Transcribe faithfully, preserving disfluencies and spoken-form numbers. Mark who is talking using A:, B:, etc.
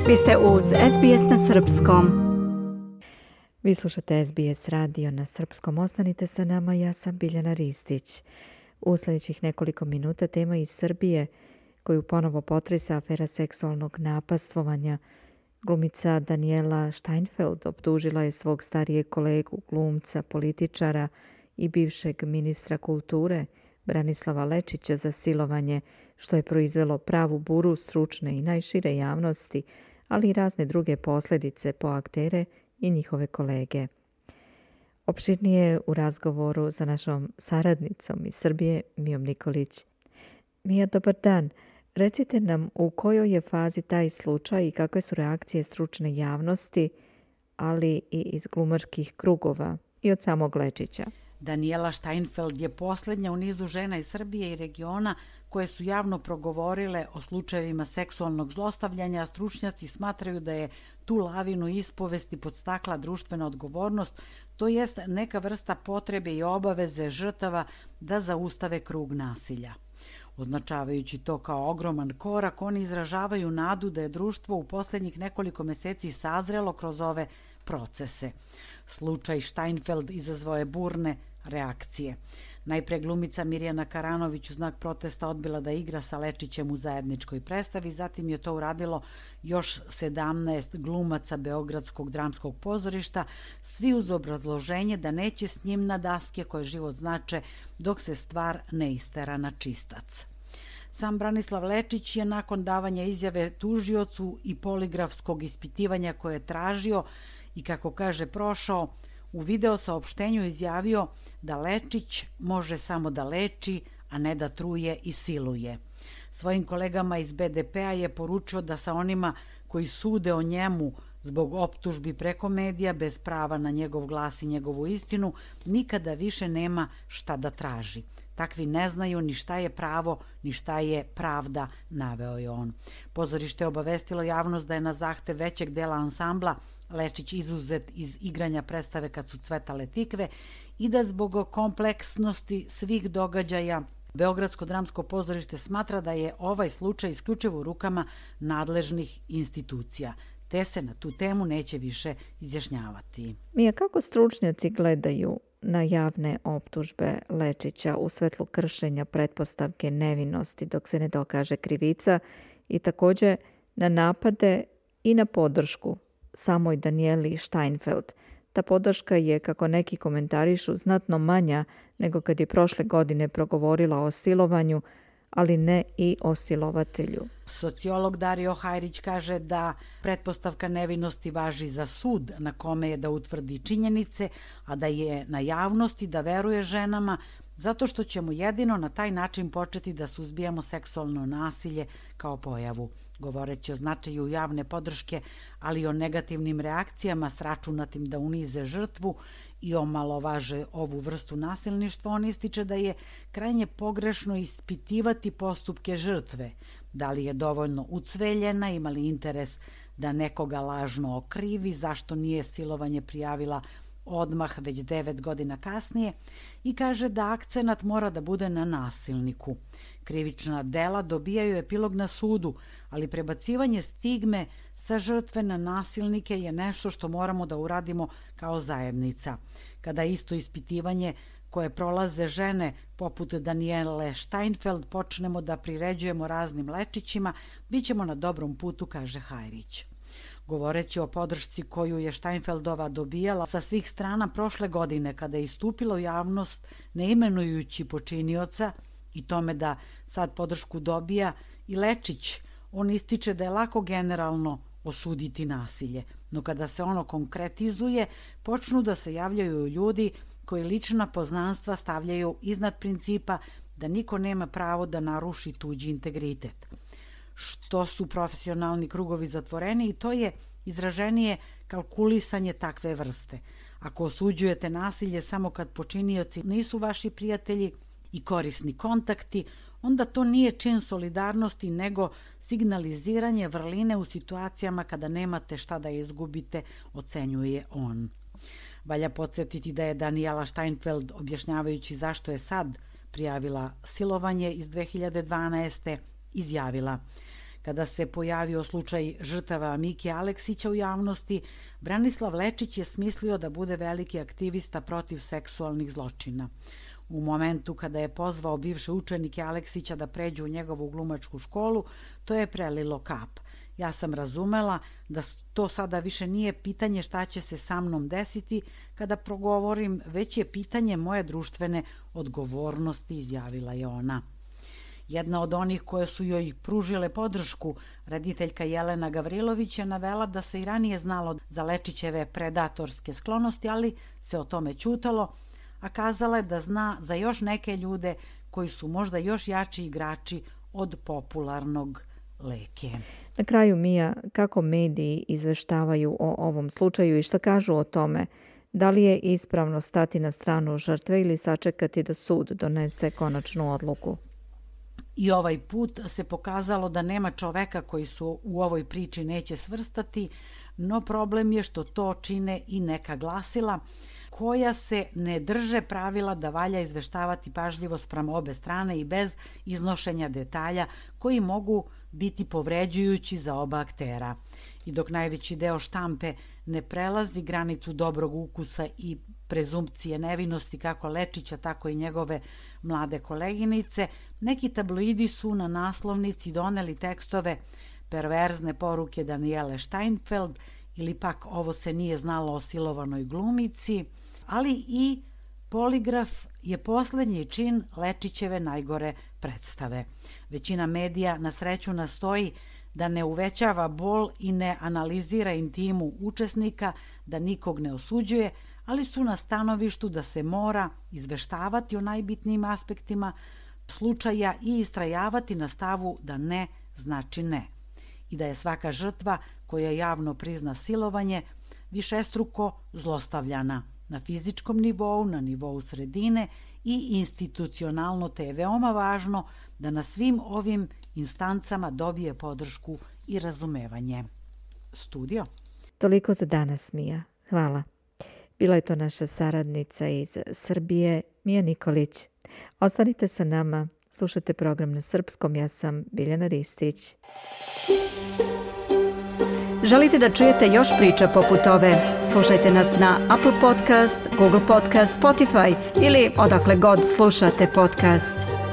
A: Vi ste uz S B S na srpskom.
B: Vi slušate S B S radio na srpskom. Ostanite sa nama, ja sam Biljana Ristić. U sljedećih nekoliko minuta tema iz Srbije koju ponovo potresa afera seksualnog napastvovanja. Glumica Daniela Steinfeld optužila je svog starijeg kolegu, glumca, političara i bivšeg ministra kulture Branislava Lečića za silovanje, što je proizvelo pravu buru stručne i najšire javnosti, ali i razne druge posljedice po aktere i njihove kolege. Opširnije u razgovoru sa našom saradnicom iz Srbije, Mijom Nikolić. Mija, dobar dan. Recite nam u kojoj je fazi taj slučaj i kakve su reakcije stručne javnosti, ali i iz glumačkih krugova i od samog Lečića.
C: Daniela Steinfeld je posljednja u nizu žena iz Srbije i regiona koje su javno progovorile o slučajevima seksualnog zlostavljanja, a stručnjaci smatraju da je tu lavinu ispovesti podstakla društvena odgovornost, to jest neka vrsta potrebe i obaveze žrtava da zaustave krug nasilja. Označavajući to kao ogroman korak, oni izražavaju nadu da je društvo u posljednjih nekoliko mjeseci sazrelo kroz ove procese. Slučaj Steinfeld izazvao je burne reakcije. Najpre glumica Mirjana Karanović u znak protesta odbila da igra sa Lečićem u zajedničkoj predstavi, zatim je to uradilo još sedamnaest glumaca Beogradskog dramskog pozorišta, svi uz obrazloženje da neće s njim na daske koje život znače dok se stvar ne istera na čistac. Sam Branislav Lečić je nakon davanja izjave tužiocu i poligrafskog ispitivanja koje je tražio i, kako kaže, prošao, u video saopštenju izjavio da Lečić može samo da leči, a ne da truje i siluje. Svojim kolegama iz B D P-a je poručio da sa onima koji sude o njemu zbog optužbi preko medija bez prava na njegov glas i njegovu istinu nikada više nema šta da traži. Takvi ne znaju ni šta je pravo, ni šta je pravda, naveo je on. Pozorište je obavestilo javnost da je na zahtev većeg dela ansambla Lečić izuzet iz igranja predstave Kad su cvetale tikve i da zbog kompleksnosti svih događaja Beogradsko dramsko pozorište smatra da je ovaj slučaj isključivo u rukama nadležnih institucija, te se na tu temu neće više izjašnjavati.
B: Mija, kako stručnjaci gledaju na javne optužbe Lečića u svetlu kršenja pretpostavke nevinosti dok se ne dokaže krivica i također na napade i na podršku samoj Danieli Steinfeld? Ta podrška je, kako neki komentarišu, znatno manja nego kad je prošle godine progovorila o silovanju, ali ne i o silovatelju.
C: Sociolog Dario Hajrić kaže da pretpostavka nevinosti važi za sud na kome je da utvrdi činjenice, a da je na javnosti da veruje ženama, zato što ćemo jedino na taj način početi da suzbijamo seksualno nasilje kao pojavu. Govoreći o značaju javne podrške, ali i o negativnim reakcijama sračunatim da unize žrtvu i omalovaže ovu vrstu nasilništva, on ističe da je krajnje pogrešno ispitivati postupke žrtve. Da li je dovoljno ucveljena, ima li interes da nekoga lažno okrivi, zašto nije silovanje prijavila odmah već devet godina kasnije, i kaže da akcenat mora da bude na nasilniku. Krivična dela dobijaju epilog na sudu, ali prebacivanje stigme sa žrtve na nasilnike je nešto što moramo da uradimo kao zajednica. Kada isto ispitivanje koje prolaze žene poput Daniele Steinfeld počnemo da priređujemo raznim Lečićima, bit ćemo na dobrom putu, kaže Hajrić. Govoreći o podršci koju je Steinfeldova dobijala sa svih strana prošle godine kada je istupila u javnost ne imenujući počinioca i tome da sad podršku dobija i Lečić, on ističe da je lako generalno osuditi nasilje, no kada se ono konkretizuje, počnu da se javljaju ljudi koji lična poznanstva stavljaju iznad principa da niko nema pravo da naruši tuđi integritet. Što su profesionalni krugovi zatvoreni, i to je izraženije kalkulisanje takve vrste. Ako osuđujete nasilje samo kad počinioci nisu vaši prijatelji i korisni kontakti, onda to nije čin solidarnosti nego signaliziranje vrline u situacijama kada nemate šta da izgubite, ocenjuje on. Valja podsjetiti da je Daniela Steinfeld, objašnjavajući zašto je sad prijavila silovanje iz dve hiljade dvanaeste. izjavila: Kada se pojavio slučaj žrtava Mike Aleksića u javnosti, Branislav Lečić je smislio da bude veliki aktivista protiv seksualnih zločina. U momentu kada je pozvao bivše učenike Aleksića da pređu u njegovu glumačku školu, to je prelilo kap. Ja sam razumela da to sada više nije pitanje šta će se sa mnom desiti kada progovorim, već je pitanje moje društvene odgovornosti, izjavila je ona. Jedna od onih koje su joj pružile podršku, rediteljka Jelena Gavrilović, je navela da se i ranije znalo za Lečićeve predatorske sklonosti, ali se o tome ćutalo, a kazala je da zna za još neke ljude koji su možda još jači igrači od popularnog Leke.
B: Na kraju, Mija, kako mediji izveštavaju o ovom slučaju i šta kažu o tome? Da li je ispravno stati na stranu žrtve ili sačekati da sud donese konačnu odluku?
C: I ovaj put se pokazalo da nema čoveka koji su u ovoj priči neće svrstati, no problem je što to čine i neka glasila koja se ne drže pravila da valja izveštavati pažljivo spram obe strane i bez iznošenja detalja koji mogu biti povređujući za oba aktera. I dok najveći deo štampe ne prelazi granicu dobrog ukusa i prezumpcije nevinosti kako Lečića, tako i njegove mlade koleginice, neki tabloidi su na naslovnici doneli tekstove perverzne poruke Danijele Steinfeld ili pak ovo se nije znalo o silovanoj glumici, ali i poligraf je poslednji čin Lečićeve najgore predstave. Većina medija na sreću nastoji da ne uvećava bol i ne analizira intimu učesnika, da nikog ne osuđuje, ali su na stanovištu da se mora izveštavati o najbitnijim aspektima slučaja i istrajavati na stavu da ne znači ne. I da je svaka žrtva koja javno prizna silovanje višestruko zlostavljana na fizičkom nivou, na nivou sredine i institucionalno, te je veoma važno da na svim ovim instancama dobije podršku i razumevanje. Studio.
B: Toliko za danas, Mija. Hvala. Bila je to naša saradnica iz Srbije, Mija Nikolić. Ostanite sa nama, slušajte program na srpskom, ja sam Biljana Ristić.
A: Želite da čujete još priča poput ove? Slušajte nas na Apple Podcast, Google Podcast, Spotify ili odakle god slušate podcast.